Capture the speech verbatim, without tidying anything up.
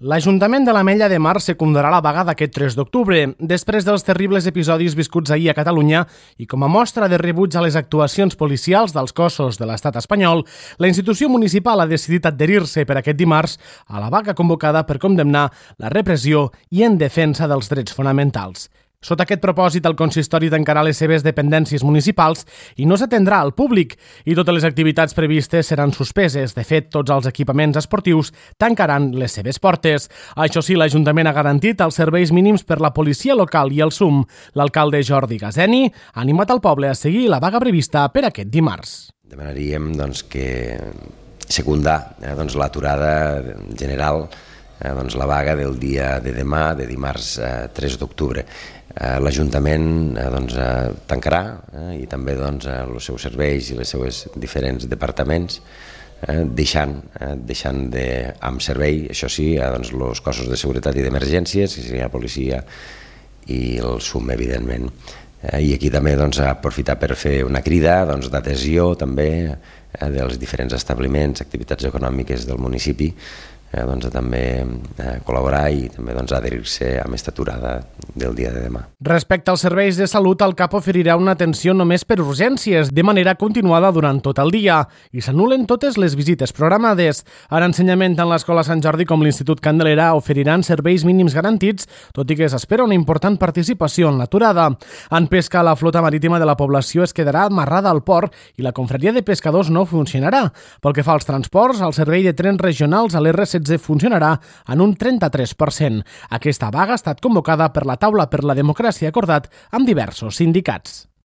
L'Ajuntament de l'Ametlla de Mar secundarà la vaga d'aquest tres d'octubre, després dels terribles episodis viscuts ahir a Catalunya i com a mostra de rebuig a les actuacions policials dels cossos de l'estat espanyol, la institució municipal ha decidit adherir-se per aquest dimarts a la vaga convocada per condemnar la repressió i en defensa dels drets fonamentals. Sota aquest propòsit, el consistori tancarà les seves dependències municipals i no s'atendrà al públic, i totes les activitats previstes seran suspeses. De fet, tots els equipaments esportius tancaran les seves portes. Això sí, l'Ajuntament ha garantit els serveis mínims per la policia local i el S U M. L'alcalde Jordi Gazeni ha animat el poble a seguir la vaga prevista per aquest dimarts. Demanaríem doncs, que secundar eh, doncs, l'aturada general, eh, doncs, la vaga del dia de demà, de dimarts eh, tres d'octubre. Eh, L'Ajuntament eh, doncs, eh, tancarà eh, i també doncs, eh, els seus serveis i les seus diferents departaments, eh, deixant, eh, deixant de, amb servei, això sí, eh, doncs, els cossos de seguretat i d'emergències, que seria la policia i el S U M, evidentment. Eh, I aquí també doncs, aprofitar per fer una crida doncs, d'adhesió també eh, dels diferents establiments, activitats econòmiques del municipi, eh, doncs, a també eh, col·laborar i també doncs, adherir-se amb aquesta aturada del dia de demà. Respecte als serveis de salut, el C A P oferirà una atenció només per urgències, de manera continuada durant tot el dia, i s'anulen totes les visites programades. En ensenyament, tant l'Escola Sant Jordi com l'Institut Candelera oferiran serveis mínims garantits, tot i que s'espera una important participació en l'aturada. En pesca, la flota marítima de la població es quedarà amarrada al port i la confraria de pescadors no funcionarà. Pel que fa als transports, el servei de trens regionals a l'R setze funcionarà en un trenta-tres per cent. Aquesta vaga ha estat convocada per la Taula per la Democràcia acordat amb diversos sindicats.